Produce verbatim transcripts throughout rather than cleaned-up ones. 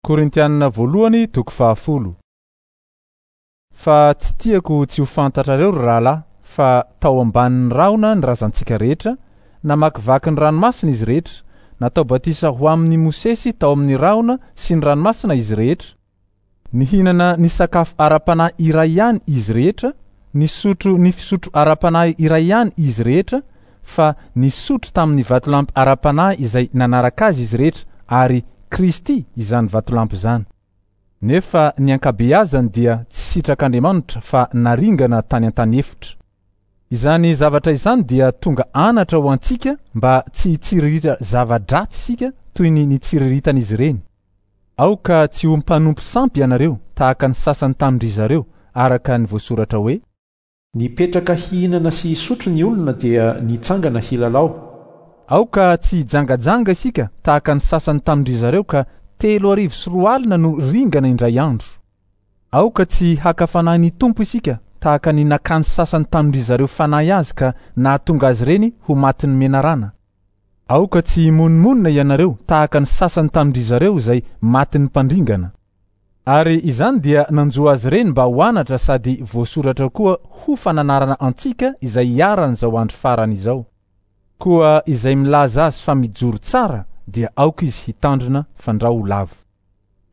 Korintianina voalohany toko fahafolo. Fa tsy tiako tsy ho fantatrareo ry rahalahy fa tao ambanin'ny rahona ny razantsika rehetra, namakivaky ny ranomasina izy rehetra, natao batisa ho amin'ny Mosesy tao amin'ny rahona sy ny ranomasina izy rehetra. Nihinana ny sakafo ara-panahy iray ihany izy rehetra, nisotro ny fisotro ara-panahy iray ihany izy rehetra, fa nisotro tamin'ny vatolampy ara-panahy izay nanaraka azy izy rehetra, ary Kristy izany vatolampy izany. Nefa ny ankabeazany dia tsy sitrak'Andriamanitra fa naringana tany an-tany efitra. Izany zavatra izany dia tonga anatra ho antsika mba tsy hitsiriritra zava-dratsy isika toy ny nitsiriritan'izy ireny. Aoka tsy ho mpanompo sampy ianareo tahaka ny sasany tamin-dry zareo, araka ny voasoratra hoe: Nipetraka hihinana sy hisotro ny olona dia nitsangana hilalao. Aoka tsy hijangajanga isika tahaka ny sasany tamin-dry zareo ka telo arivo sy roa alina no ringana indray andro. Aoka tsy haka fanahy ny Tompo isika tahaka ny nakany sasany tamin-dry zareo fanahy azy ka nahatonga azy ireny ho matin'ny menarana. Aoka tsy himonomonona ianareo tahaka ny sasany tamin-dry zareo izay matin'ny mpandringana. Ary izany dia nanjo azy ireny mba ho anatra sady voasoratra koa ho fananarana antsika izay iharan'izao andro farany izao. Koa izay milaza azy fa mijoro tsara dia aoka izy hitandrina fandrao ho lavo.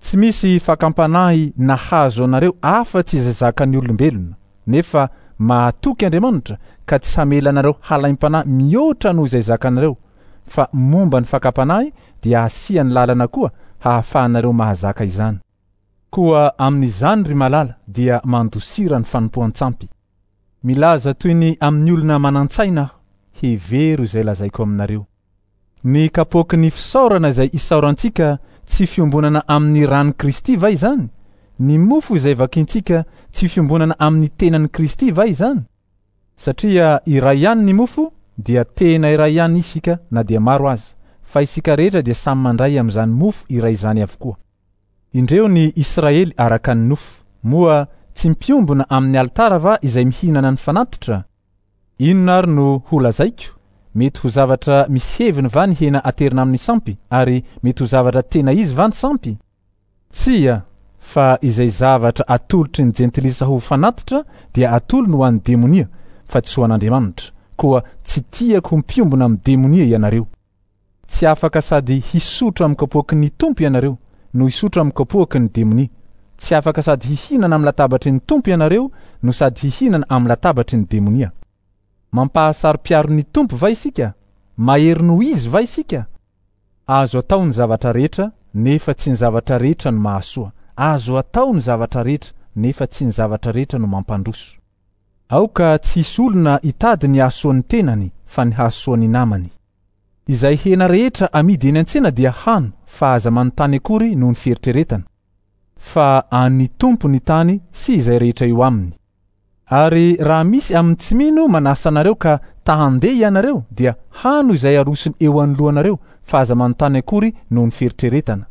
Tsy misy fakam-panahy nahazo anareo afa-tsy izay zakan'ny olombelona, nefa mahatoky Andriamanitra ka tsy hamela anareo halaim-panahy mihoatra noho izay zakanareo, fa momba ny fakam-panahy dia hasiany lalana koa hahafahanareo mahazaka izany. Koa amin'izany ry malala dia mandosira ny fanompoan-tsampy. Milaza toy ny amin'ny olona manan-tsaina aho, hevero izay lazaiko aminareo. Ny kapoaky ny fisaorana izay isaorantsika tsy fiombonana amin'ny ran'i Kristy va izany? Ny mofo izay vakintsika tsy fiombonana amin'ny tenan'i Kristy va izany? Satria iray ihany ny mofo dia tena iray ihany isika na dia maro aza, fa isika rehetra dia samy mandray amin'izany mofo iray izany avokoa. Indreo ny Israely araka ny nofo, moa tsy mpiombona amin'ny alitara va izay mihinana ny fanatitra? Inona ary no ho lazaiko? Mety ho zavatra misy heviny va ny hena aterina amin'ny sampy, ary mety ho zavatra tena izy va ny sampy? Tsia, fa izay zavatra atolotry ny jentilisa ho fanatitra dia atolony ho an'ny demonia, fa tsy ho an'Andriamanitra. Koa tsy tiako ho mpiombona amin'ny demonia ianareo. Tsy afaka sady hisotro amin'ny kapoaky ny Tompo ianareo no hisotro amin'ny kapoaky ny demonia. Tsy afaka sady hihinana amin'ny latabatry ny Tompo ianareo no sady hihinana amin'ny latabatry ny demonia. Mampahasaro-piaro ny Tompo va isika? Mahery noho izy va isika? Azo atao ny zavatra rehetra, nefa tsy ny zavatra rehetra no mahasoa. Azo atao ny zavatra rehetra, nefa tsy ny zavatra rehetra no mampandroso. Aoka tsy hisy olona hitady ny hahasoan'ny tenany fa ny hahasoan'ny namany. Izay hena rehetra amidy eny an-tsena dia hano, fa aza manontany akory noho ny fieritreretana. Fa an'ny Tompo ny tany sy izay rehetra eo aminy. Ary raha misy amin'ny tsy mino manasa anareo ka ta handeha ianareo dia hano izay arosony eo anoloanareo, fa aza manontany akory noho ny fieritreretana.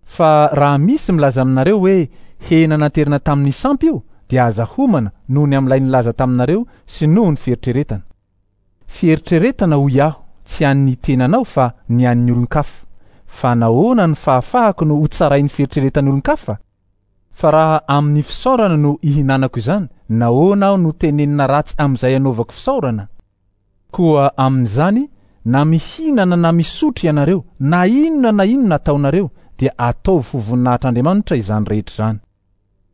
Fa raha misy milaza aminareo hoe hena naterina tamin'ny sampy io, dia aza homana noho ny amin'ilay nilaza taminareo sy noho ny fieritreretana. Fieritreretana hoy aho, tsy an'ny tenanao fa ny an'ny olon-kafa. Fa nahoana ny fahafahako no ho tsarain'ny fieritreretan'ny olon-kafa? Fa raha amin'ny fisaorana no ihinanako izany, nahoana aho no tenenina ratsy amin'izay anaovako fisaorana? Koa amin'izany, na mihinana na misotro ianareo, na inona na inona ataonareo, dia ataovy ho voninahitr'Andriamanitra izany rehetra izany.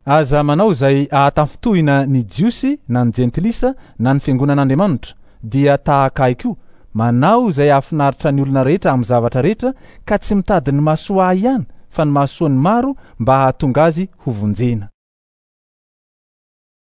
Aza manao izay ahatafintohina ny Jiosy na ny Jentilisa na ny fiangonan'Andriamanitra, dia tahaka ahy koa, manao izay hahafinaritra ny olona rehetra amin'ny zavatra rehetra, ka tsy mitady ny mahasoa ahy ihany, fa ny mahasoa ny maro mba hahatonga azy ho vonjena.